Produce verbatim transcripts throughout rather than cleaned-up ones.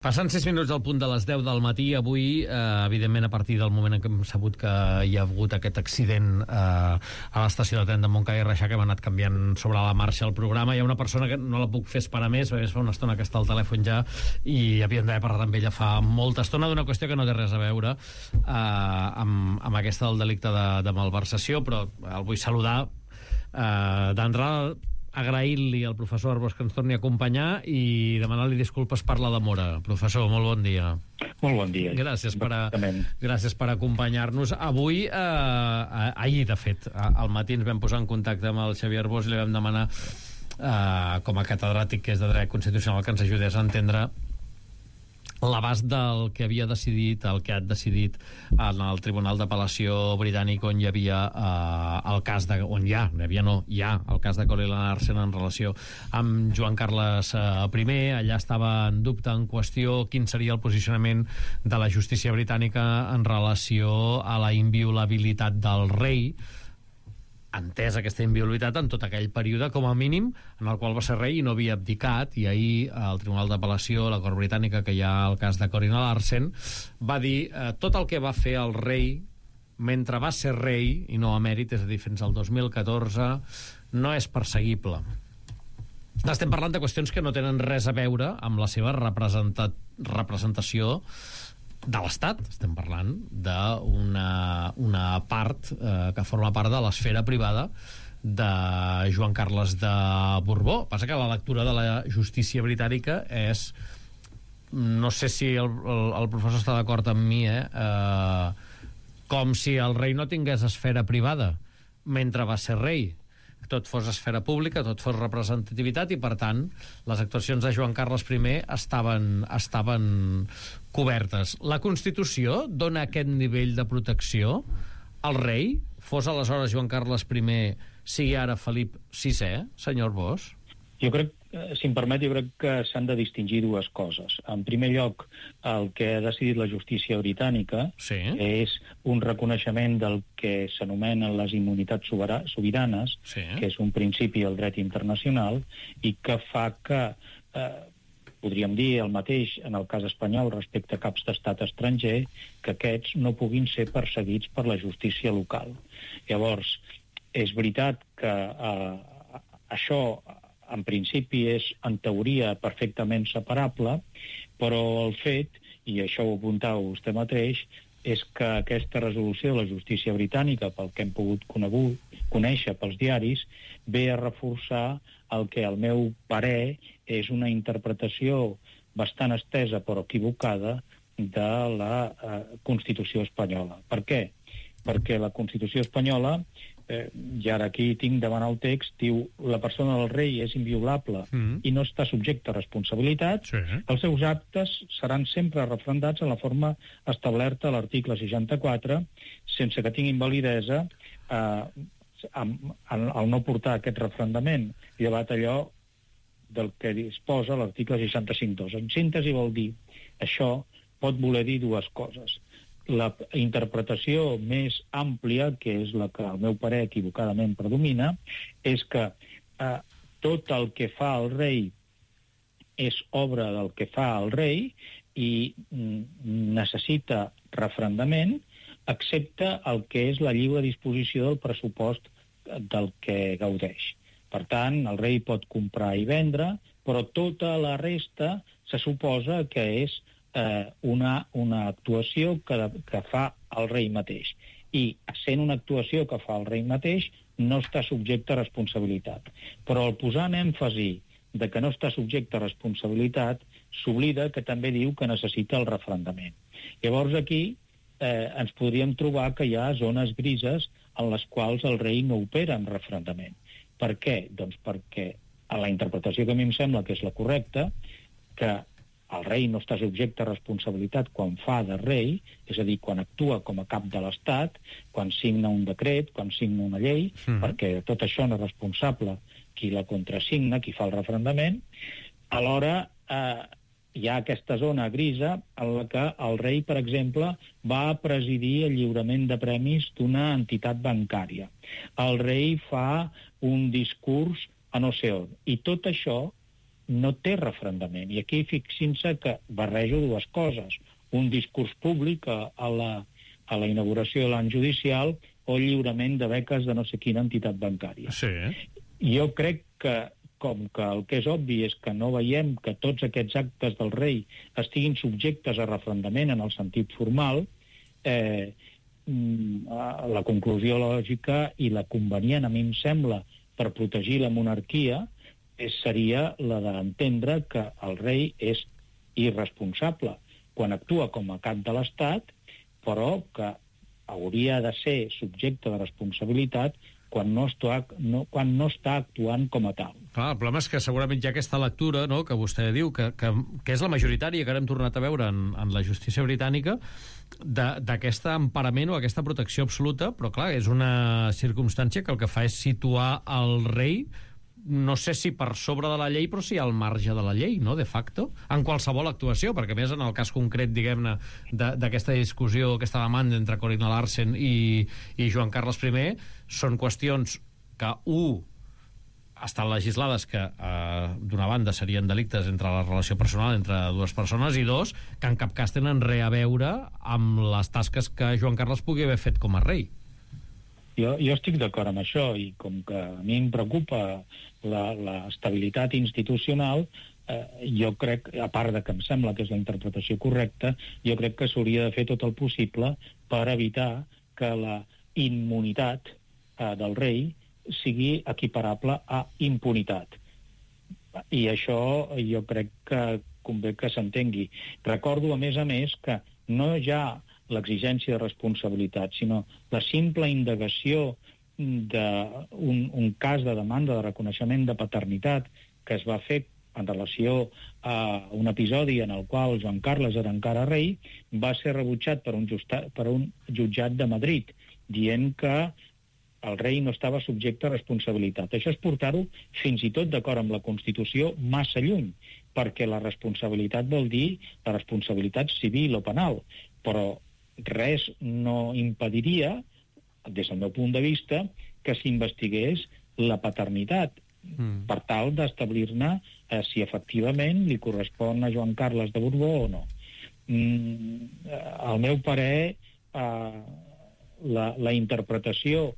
Passant sis minuts al punt de les deu del matí, avui, eh, evidentment, a partir del moment en què hem sabut que hi ha hagut aquest accident eh, a l'estació de tren de Montcada i Reixac, que hem anat canviant sobre la marxa el programa. Hi ha una persona que no la puc fer esperar més, perquè fa una estona que està al telèfon ja, i havíem d'haver parlat amb ella fa molta estona d'una qüestió que no té res a veure eh, amb, amb aquesta del delicte de, de malversació, però el vull saludar eh, d'entrada, agrair-li al professor Arbós que ens torni a acompanyar i demanar-li disculpes per la demora. Professor, molt bon dia. Molt bon dia. Gràcies per, a, gràcies per acompanyar-nos. Avui, eh, ahir, de fet, al matí ens vam posar en contacte amb el Xavier Arbós i li vam demanar, eh, com a catedràtic que és de dret constitucional, que ens ajudés a entendre l'abast del que havia decidit, el que ha decidit en el Tribunal d'Apel·lació britànic, on hi havia eh, el cas de, on hi ha, hi havia no, hi ha el cas de Cory Larsen en relació amb Joan Carles eh, I. Allà estava en dubte, en qüestió, quin seria el posicionament de la justícia britànica en relació a la inviolabilitat del rei, entès aquesta inviolabilitat en tot aquell període, com a mínim, en el qual va ser rei i no havia abdicat, i ahir el Tribunal d'Apel·lació, la Cort Britànica, que hi ha el cas de Cory Larsen, va dir eh, tot el que va fer el rei mentre va ser rei, i no emèrit, és a dir, fins al dos mil catorze, no és perseguible. Estem parlant de qüestions que no tenen res a veure amb la seva representa- representació de l'Estat. Estem parlant d'una una part eh, que forma part de l'esfera privada de Joan Carles de Borbó. Passa que la lectura de la justícia britànica és, no sé si el, el, el professor està d'acord amb mi, eh? Eh, com si el rei no tingués esfera privada mentre va ser rei. Tot fos esfera pública, tot fos representativitat, i per tant les actuacions de Joan Carles I estaven, estaven cobertes. La Constitució dona aquest nivell de protecció al rei, fos aleshores Joan Carles I, sigui ara Felip sisè, senyor Arbós? Jo crec, si em permet, jo crec que s'han de distingir dues coses. En primer lloc, el que ha decidit la justícia britànica sí. és un reconeixement del que s'anomenen les immunitats sobiranes, sí. que és un principi del dret internacional, i que fa que, eh, podríem dir el mateix en el cas espanyol respecte a caps d'estat estranger, que aquests no puguin ser perseguits per la justícia local. Llavors, és veritat que eh, això en principi és, en teoria, perfectament separable, però el fet, i això ho apuntau vostè mateix, és que aquesta resolució de la justícia britànica, pel que hem pogut conegut, conèixer pels diaris, ve a reforçar el que, al meu parer, és una interpretació bastant estesa però equivocada de la eh, Constitució espanyola. Per què? Perquè la Constitució espanyola, eh, i ara aquí tinc davant el text, diu la persona del rei és inviolable mm. i no està subjecte a responsabilitat, sí. Els seus actes seran sempre refrendats en la forma establerta a l'article seixanta-quatre, sense que tinguin validesa eh, al no portar aquest refrendament, llevat allò del que disposa l'article seixanta-cinc dos. En síntesi vol dir, això pot voler dir dues coses. La interpretació més àmplia, que és la que al meu parer equivocadament predomina, és que eh, tot el que fa el rei és obra del que fa el rei i mm, necessita refrendament, excepte el que és la lliure disposició del pressupost del que gaudeix. Per tant, el rei pot comprar i vendre, però tota la resta se suposa que és eh, una, una actuació que, que fa el rei mateix. I, sent una actuació que fa el rei mateix, no està subjecte a responsabilitat. Però al posar en èmfasi de que no està subjecte a responsabilitat, s'oblida que també diu que necessita el refrendament. Llavors aquí eh, ens podríem trobar que hi ha zones grises en les quals el rei no opera en refrendament. Per què? Doncs perquè a la interpretació que a mi em sembla que és la correcta, que el rei no està subjecte a responsabilitat quan fa de rei, és a dir, quan actua com a cap de l'Estat, quan signa un decret, quan signa una llei, mm-hmm. perquè de tot això no és responsable qui la contrasigna, qui fa el refrendament. Alhora eh, hi ha aquesta zona grisa en la que el rei, per exemple, va presidir el lliurament de premis d'una entitat bancària. El rei fa un discurs a no sé on. I tot això no té refrendament. I aquí fixin-se que barrejo dues coses. Un discurs públic a, a, la, a la inauguració de l'any judicial o lliurament de beques de no sé quina entitat bancària. Sí. Jo crec que, com que el que és obvi és que no veiem que tots aquests actes del rei estiguin subjectes a refrendament en el sentit formal, eh, la conclusió lògica i la convenient, a mi em sembla, per protegir la monarquia, seria la d'entendre que el rei és irresponsable quan actua com a cap de l'Estat, però que hauria de ser subjecte de responsabilitat quan no, està, no, quan no està actuant com a tal. Clar, el problema és que segurament hi ha aquesta lectura, no?, que vostè diu, que, que, que és la majoritària, que ara hem tornat a veure en, en la justícia britànica, d'aquest emparament o aquesta protecció absoluta, però clar, és una circumstància que el que fa és situar el rei, no sé si per sobre de la llei, però sí al marge de la llei, no?, de facto, en qualsevol actuació, perquè més en el cas concret, diguem-ne, d'aquesta discussió, aquesta demanda entre Corina Larsen i, i Joan Carles I, són qüestions que, u, estan legislades que, eh, d'una banda, serien delictes entre la relació personal entre dues persones, i dos, que en cap cas tenen res a veure amb les tasques que Joan Carles pugui haver fet com a rei. Jo, jo estic d'acord amb això, i com que a mi em preocupa l'estabilitat institucional, eh, jo crec, a part de que em sembla que és la interpretació correcta, jo crec que s'hauria de fer tot el possible per evitar que la immunitat eh, del rei sigui equiparable a impunitat. I això jo crec que convé que s'entengui. Recordo, a més a més, que no ja l'exigència de responsabilitat, sinó la simple indagació d'un un cas de demanda de reconeixement de paternitat que es va fer en relació a un episodi en el qual Joan Carles era encara rei, va ser rebutjat per un, justa, per un jutjat de Madrid, dient que el rei no estava subjecte a responsabilitat. Això és portar-ho, fins i tot d'acord amb la Constitució, massa lluny, perquè la responsabilitat vol dir la responsabilitat civil o penal, però res no impediria, des del meu punt de vista, que s'investigués la paternitat, mm. per tal d'establir-ne eh, si efectivament li correspon a Joan Carles de Borbó o no. Mm, al meu parer, eh, la, la interpretació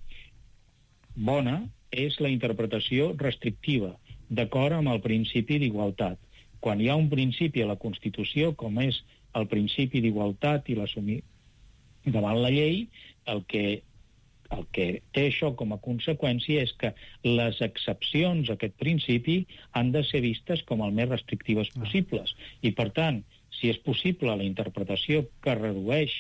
bona és la interpretació restrictiva, d'acord amb el principi d'igualtat. Quan hi ha un principi a la Constitució, com és el principi d'igualtat i l'assumir davant la llei, el que, el que té això com a conseqüència és que les excepcions a aquest principi han de ser vistes com el més restrictives possibles. I, per tant, si és possible la interpretació que redueix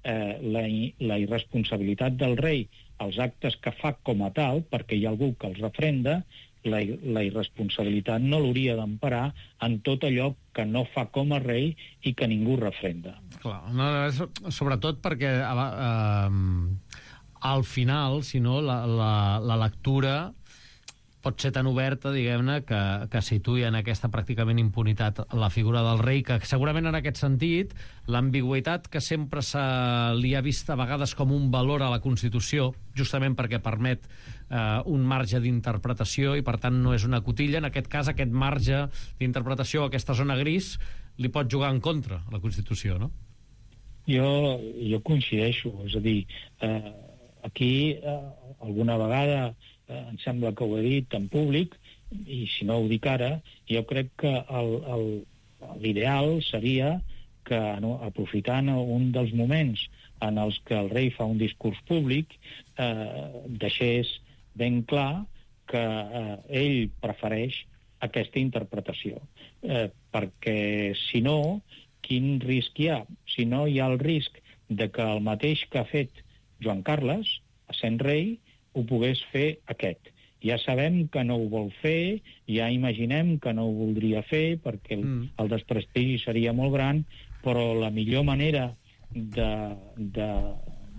eh, la, la irresponsabilitat del rei als actes que fa com a tal, perquè hi ha algú que els refrenda, la, la irresponsabilitat no l'hauria d'emparar en tot allò que no fa com a rei i que ningú refrenda. Clar, no, sobretot perquè eh, al final, si no, la, la, la lectura pot ser tan oberta, diguem-ne, que, que situï en aquesta pràcticament impunitat la figura del rei, que segurament en aquest sentit l'ambigüitat que sempre se li ha vist a vegades com un valor a la Constitució, justament perquè permet eh, un marge d'interpretació i per tant no és una cotilla, en aquest cas aquest marge d'interpretació, aquesta zona gris, li pot jugar en contra a la Constitució, no? Jo, jo coincideixo, és a dir, eh, aquí eh, alguna vegada em sembla que ho he dit en públic, i si no ho dic ara, jo crec que l'ideal seria que, no, aprofitant un dels moments en els que el rei fa un discurs públic, eh, deixés ben clar que eh, ell prefereix aquesta interpretació. Eh, perquè, si no, quin risc hi ha? Si no, hi ha el risc de que el mateix que ha fet Joan Carles, essent rei, ho pogués fer aquest. Ja sabem que no ho vol fer, ja imaginem que no ho voldria fer, perquè el, mm. el desprestigi seria molt gran, però la millor manera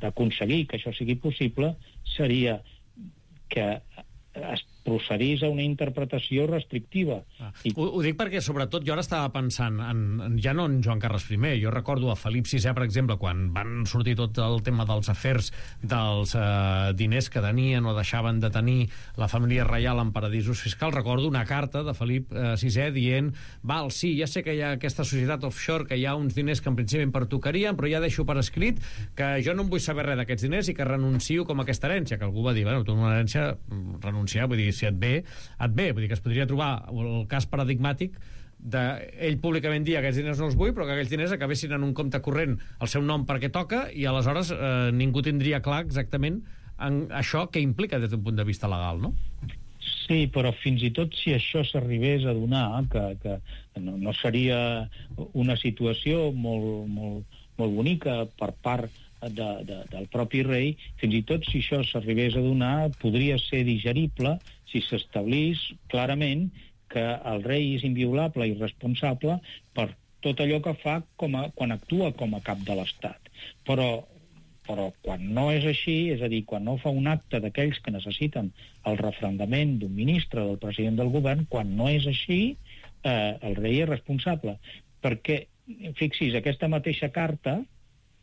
d'aconseguir que això sigui possible seria que es procedís a una interpretació restrictiva. Ah. I... Ho, ho dic perquè, sobretot, jo ara estava pensant en, en, ja no en Joan Carles primer, jo recordo a Felip sisè, per exemple, quan van sortir tot el tema dels afers, dels eh, diners que tenien o deixaven de tenir la família reial en paradisos fiscals, recordo una carta de Felip eh, sisè dient, val, sí, ja sé que hi ha aquesta societat offshore, que hi ha uns diners que en principi em pertocarien, però ja deixo per escrit que jo no em vull saber res d'aquests diners i que renuncio com a aquesta herència, que algú va dir, bueno, tu una herència, renunciar, vull dir, si et ve, et ve. Vull dir que es podria trobar el cas paradigmàtic d'ell públicament dir aquests diners no els vull, però que aquells diners acabessin en un compte corrent el seu nom perquè toca i aleshores eh, ningú tindria clar exactament en això que implica des d'un punt de vista legal, no? Sí, però fins i tot si això s'arribés a donar, que, que no, no seria una situació molt, molt, molt bonica per part De, de, del propi rei, fins i tot si això s'arribés a donar, podria ser digerible si s'establís clarament que el rei és inviolable i responsable per tot allò que fa com a, quan actua com a cap de l'Estat. Però, però quan no és així, és a dir, quan no fa un acte d'aquells que necessiten el referendament d'un ministre, del president del govern, quan no és així, eh, el rei és responsable. Perquè, fixis, aquesta mateixa carta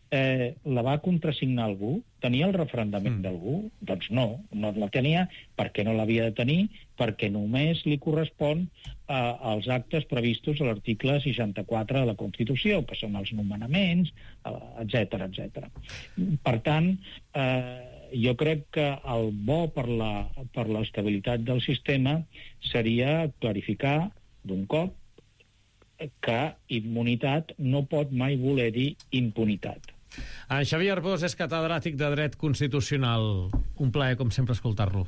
Eh, la va contrasignar algú? Tenia el referendament mm. d'algú? Doncs no, no la tenia perquè no l'havia de tenir, perquè només li correspon eh, als actes previstos a l'article seixanta-quatre de la Constitució, que són els nomenaments, etcètera, etcètera. Per tant, eh, jo crec que el bo per la, per l'estabilitat del sistema seria clarificar d'un cop que immunitat no pot mai voler dir impunitat. En Xavier Arbós és catedràtic de Dret Constitucional. Un plaer, com sempre, escoltar-lo.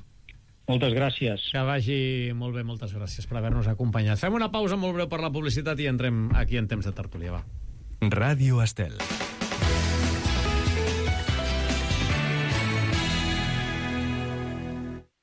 Moltes gràcies. Que vagi molt bé, moltes gràcies per haver-nos acompanyat. Fem una pausa molt breu per la publicitat i entrem aquí en temps de tertúlia, va. Ràdio Estel.